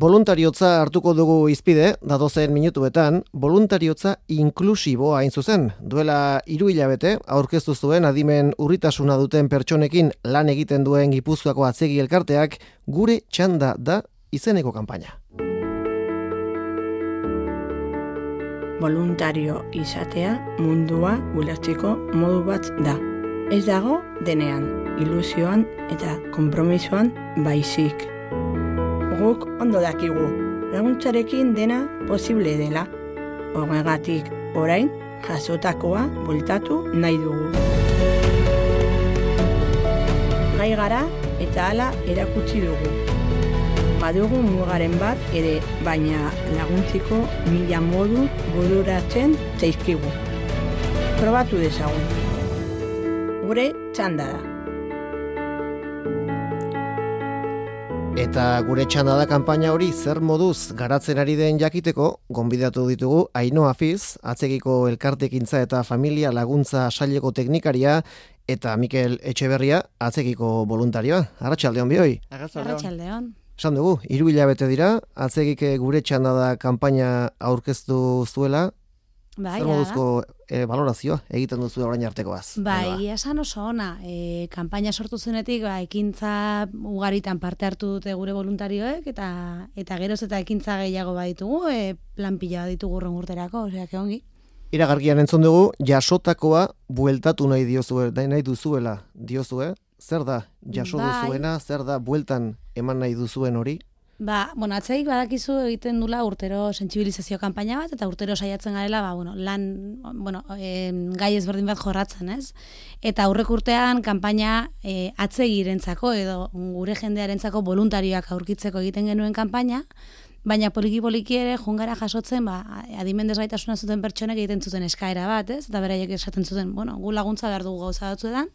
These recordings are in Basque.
Boluntariotza hartuko dugu izpide, datozen minutuetan, boluntariotza inklusiboa hain zuzen. Duela 3 hilabete aurkeztu zuen adimen urritasuna duten pertsonekin lan egiten duen Gipuzkoako atzegi elkarteak Gure Txanda da izeneko kanpaina. Voluntario izatea mundua ulertzeko modu bat da. Ez dago denean, ilusioan eta konpromisoan baizik. Guk ondo dakigu, laguntzarekin dena posible dela. Horregatik, orain, jasotakoa bueltatu nahi dugu. Gai gara eta hala erakutsi dugu. Badugu mugaren bat ere, baina laguntziko 1000 modu bururatzen zaizkigu. Probatu dezagun. Gure txanda da. Eta Gure Txanda da kanpaina hori zer moduz garatzen ari den jakiteko, gonbidatu ditugu Ainhoa Fiz, atzegiko elkartekintza eta familia laguntza saileko teknikaria, eta Mikel Etxeberria, atzegiko voluntarioa. Arratsaldeon bioi. Arratsaldeon. Esan dugu, 3 hilabete dira, atzegik Gure Txanda da kanpaina aurkeztu zuela. Bai, zer moduzko valorazioa egiten duzu orain artekoaz? Bai, esan oso ona. Kanpaina sortu zenetik, ekintza ugaritan parte hartu dute gure voluntarioek, eta geroz eta ekintza gehiago baditugu, plan pila baditugu urren urterako, osea, ongi. Iragarkian entzun dugu, jasotakoa bueltatu nahi duzuela diozue. Zer da jaso duzuena, zer da bueltan eman nahi duzuen hori? Atzegik badakizu egiten dula urtero sentsibilizazio kanpaina bat, eta urtero saiatzen garela, gai ezberdin bat jorratzen, ez? Eta aurreko urtean kanpaina atzegirentzako edo gure jendearentzako voluntarioak aurkitzeko egiten genuen kanpaina, baina poliki ere jungara jasotzen, adimen desgaitasuna zuten pertsonek egiten zuten eskaera bat, ez? Eta beraiek esaten zuten, gu laguntza behar dugu gauza batzuetan,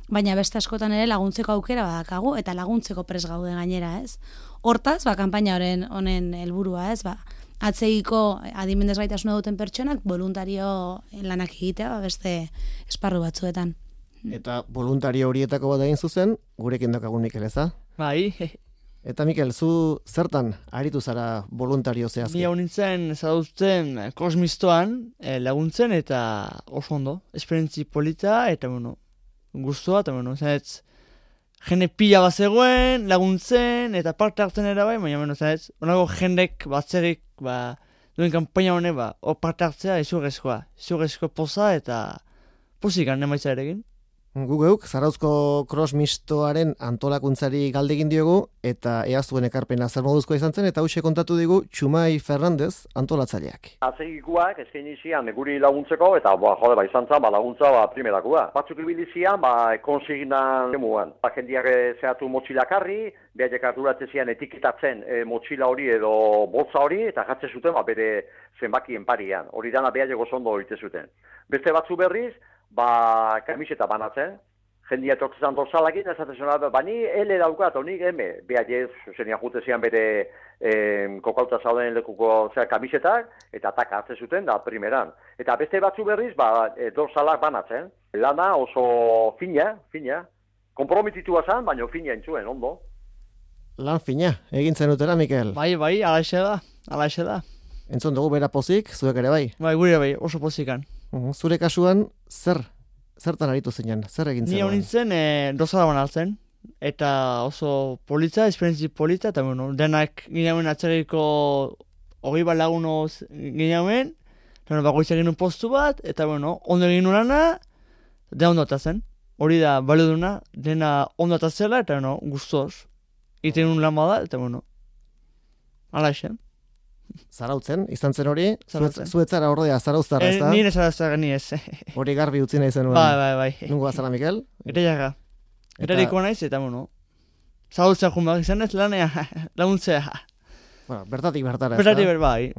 baina beste askotan ere laguntzeko aukera badakagu, eta laguntzeko pres gaude gainera, ez? Hortaz, kanpaina honen helburua, ez? Atzegiko adimen desgaitasuna duten pertsonak voluntario lanak egitea, beste esparru batzuetan. Eta voluntario horietako bat egin zuzen, gurekin daukagun Mikel, eza? Bai. Eta Mikel, zu zertan aritu zara voluntario zehazki? Ni hau nintzen zaduzten kosmistoan laguntzen eta oso ondo. Esperientzi polita eta guztua, eta zanetz, jende pila bat zegoen, laguntzen, eta parte hartzen ere bai, baina zanetz, onako jendek batzerik, duen kanpaina honek, hor parte hartzea, izurrezkoa poza, eta pozikan emaitza ere egin. Geuk, Zarauzko crossmistoaren antolakuntzari galdegin diogu, eta ea zuen ekarpena zer moduzkoa izan zen, eta hauxe kontatu digu Txumai Fernandez antolatzaileak. Atzegikuak eskaini zian guri laguntzeko, eta izan zen laguntza primerakua. Batzuk ibili zian, konsigna emuan. Jendiak zehatu motxilakarri, behaiek arduratzen zian etiketatzen motxila hori edo boltza hori, eta jatzen zuten bere zenbakien parian. Hori dana behaiek oso ondo egiten zuten. Beste batzu berriz, kamiseta banatzen, jendia etortzen dorsalakin, esaten zuen, bani ele daukat, honik eme, behaiek zenian jute zian bere kokauta zauden lekuko kamisetak, eta taka hartzen zuten da primeran. Eta beste batzu berriz, dorsalak banatzen. Lana oso fina, komprometitua zen, baina fina entzuen, ondo. Lan fina, egin zenutera, Mikel? Bai, alaxe da. Entzun dugu bera pozik, zuek ere bai? Bai, gure bai, oso pozikan. Zure kasuan, zertan aritu zinen, zer egin zen? Ni hau nintzen, dozala banaltzen, eta oso politza, esperientzi polita, eta denak gineamen atzerriko 20 bat laguno gineamen, bakoitza egin postu bat, eta ondo egin urana, dena ondo atatzen. Hori da, balio duna, dena ondo atatzela, eta guztoz. Iten lan bada, eta ala esen. Zarautzen, izan zen hori, zuetzara ordea zarauztarra, ez da? Nire zarauztarra ni ez. Hori garbi utzi nahi zenuen. Bai. Nungo azara, Mikel? Etaiaga. Etairiko naiz, eta zarautzea junbak izan ez lanea, laguntzea. Bertatik bertara, ez da? Bertatik bai.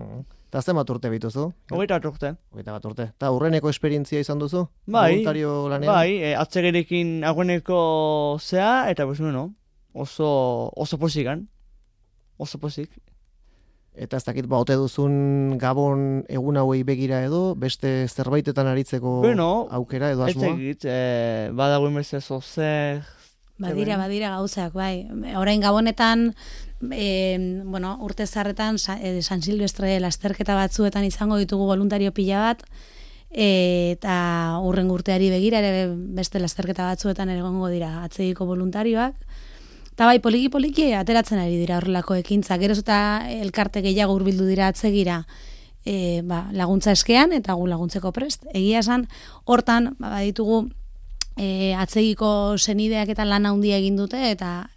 Eta zenbat urte bituzu? 21 urte. Eta urreneko esperientzia izan duzu? Bai, voluntario lanean? Bai, atzegerekin agueneko zea, eta oso pozikan. Oso pozik. Eta ez dakit ote duzun Gabon egun hauei begira edo, beste zerbaitetan aritzeko aukera edo asmoa? Ez egit, badagoen beste zer Badira gauzak, bai. Orain Gabonetan, urte zarretan, San Silvestre lasterketa batzuetan izango ditugu voluntario pila bat, eta urren urteari begira ere beste lasterketa batzuetan ere egongo dira atzegiko voluntarioak. Eta bai, poliki ateratzen ari dira horrelako ekintza. Geroz eta elkarte gehiago hurbildu dira atzegira laguntza eskean eta gu laguntzeko prest. Egia esan, hortan, baditugu atzegiko senideak eta lan handia egin dute eta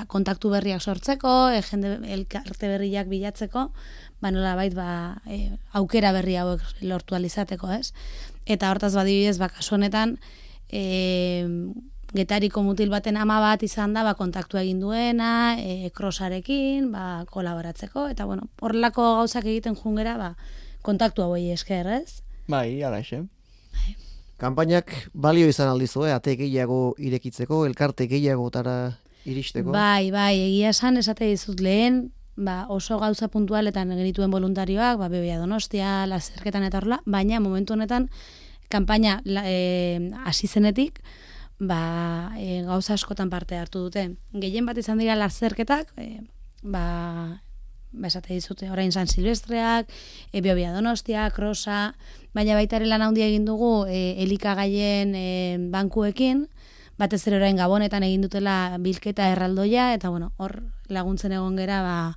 kontaktu berriak sortzeko, jende elkarte berriak bilatzeko, nolabait aukera berri hauek lortu alizateko, ez? Eta hortaz badibidez, kasu honetan, Getariko mutil baten ama bat izan da, kontaktua egin duena, crossarekin, kolaboratzeko, eta horrelako gauzak egiten jungera, kontaktua hoi esker, ez? Bai, ala ese. Kanpainak balio izan aldizue, ate gehiago irekitzeko, elkarte gehiagotara iristeko? Bai, egia esan, esate dizut lehen, oso gauza puntualetan genituen voluntarioak, Bebea Donostia, lasterketan eta horrela, baina momentu honetan, kanpaina hasi zenetik, gauza askotan parte hartu dute. Gehien bat izan dira lasterketak, esate dizute, orain San Silvestreak, Bebea Donostia, Crossa, baina baita ere lan handia egin dugu elikagaien bankuekin, batez ere orain Gabonetan egin dutela bilketa erraldoia, eta hor laguntzen egon gera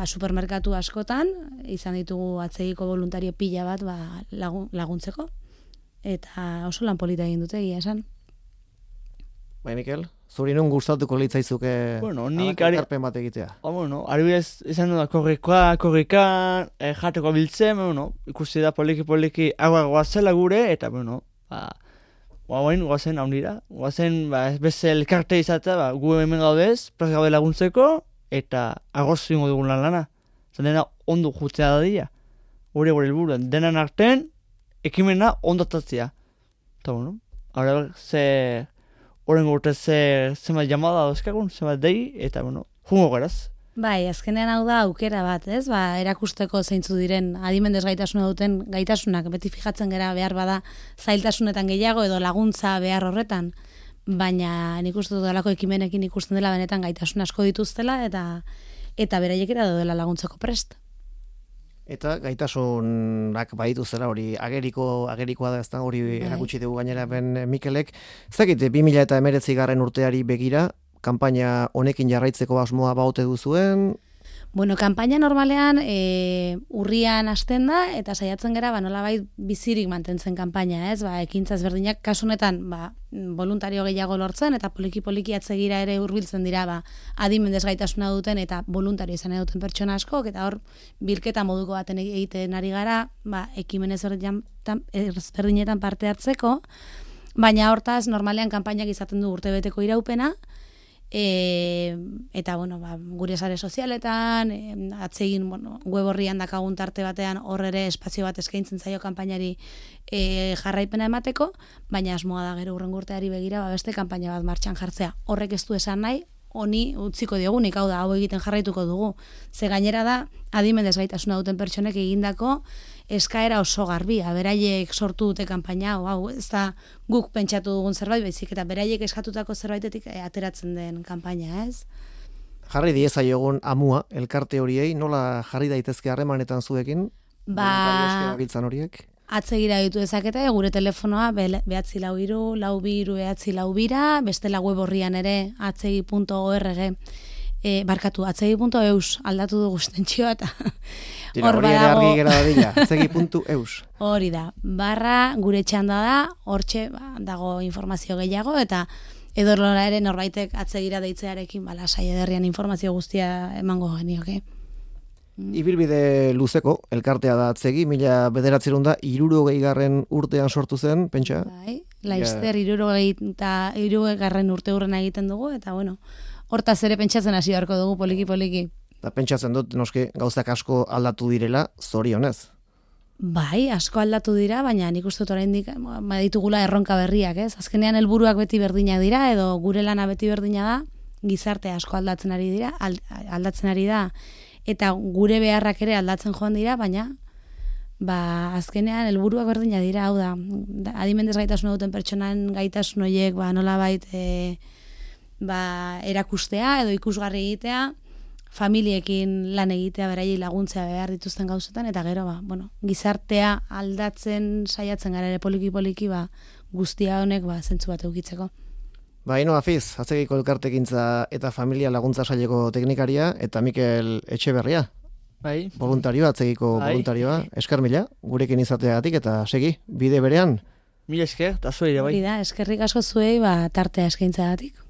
supermerkatu askotan, izan ditugu atzegiko voluntario pila bat laguntzeko, eta oso lan polita egin dute, egia esan. Bai, Mikel, zuri non gustatuko litzaizuke ekarpen bat egitea? Adibidez, izan du da korrika, jateko biltzen, ikusi da poliki agua goazela gure, eta guazen haundira, guazen beste elkarte izatea, gu hemen gaudez, prez gaude laguntzeko, eta agoz ingo dugun lana. Zan dena ondo jutzea da dira. Gure helburu, denan artean, ekimena ondotatzea. Eta ze... Horren urte zenbat jamada dauzkagun, zenbat dei, eta jungo geraz. Bai, azkenean hau da aukera bat, ez? Erakusteko zeintzu diren adimen desgaitasuna duten gaitasunak, beti fijatzen gera behar bada zailtasunetan gehiago edo laguntza behar horretan, baina nik uste dut dalako ekimenekin ikusten dela benetan gaitasun asko dituztela eta beraiekera daudela laguntzeko prest. Eta gaitasunak baditu zela hori agerikoa da, ezta hori erakutsi dugu gainera ben Mikelek. Ez dakit 2019 urteari begira kanpaina honekin jarraitzeko asmoa baute duzuen? Kanpaina normalean urrian hasten da eta saiatzen gera nolabait bizirik mantentzen kanpaina, ez? Ekintza ezberdinak kasu honetan voluntario gehiago lortzen eta poliki atzegira ere hurbiltzen dira adimen desgaitasuna duten eta voluntario izan duten pertsona askok, eta hor bilketa moduko baten egiten ari gara, ekimen ezberdinetan parte hartzeko, baina hortaz normalean kanpainak izaten du urtebeteko iraupena. Eta gure sare sozialetan atsegin web horrian dakagun tarte batean hor ere espazio bat eskaintzen zaio kanpainari jarraipena emateko, baina asmoa da gero hurrengo urteari begira beste kanpaina bat martxan jartzea. Horrek ez du esan nahi honi utziko diogunik, hau da, hau egiten jarraituko dugu. Ze gainera da adimen desgaitasuna duten pertsonek egindako eskaera oso garbia, beraiek sortu dute kanpaina, hau ez da guk pentsatu dugun zerbait, baizik eta beraiek eskatutako zerbaitetik ateratzen den kanpaina, ez? Jarri diezaiogun amua, elkarte horiei, nola jarri daitezke harremanetan zuekin? Biltzan horiek? Atzegira ditu dezakete, gure telefonoa behatzi-lau-hiru, lau-bi-hiru, behatzi-lau-bira, bestela web horrian ere atzegi.org, atzegi.eus aldatu dugu estentxioa eta hor badago atzegi.eus. Hori da, gure txanda da, hortxe dago informazio gehiago eta edorlora ere norbaitek atzegira deitzearekin lasai ederrian informazio guztia emango genioke. Ibilbide luzeko, elkartea da atzegi, 1960 urtean sortu zen, pentsa? Bai, Laister 60 urte hurrena egiten dugu, eta hortaz ere pentsatzen hasi beharko dugu poliki. Eta pentsatzen dut, noski, gauzak asko aldatu direla, zorionez? Bai, asko aldatu dira, baina nik uste dut oraindik ditugula erronka berriak, ez? Azkenean helburuak beti berdinak dira, edo gure lana beti berdina da, gizarte asko aldatzen ari da, eta gure beharrak ere aldatzen joan dira, baina azkenean helburuak berdina dira, hau da, adimen desgaitasuna duten pertsonan gaitasun horiek nolabait erakustea edo ikusgarri egitea, familiekin lan egitea, beraiei laguntzea behar dituzten gauzetan, eta gero, gizartea aldatzen saiatzen gara ere poliki-poliki, guztia honek zentzu bat eukitzeko. Ino Afiz, Atzegiko elkartekintza eta familia laguntza saileko teknikaria, eta Mikel Etxeberria, voluntarioa, Atzegiko voluntarioa, esker mila, gurekin izateagatik, eta segi, bide berean. Mila esker, eta zuei ere bai. Eskerrik asko zuei, tartea eskaintzagatik.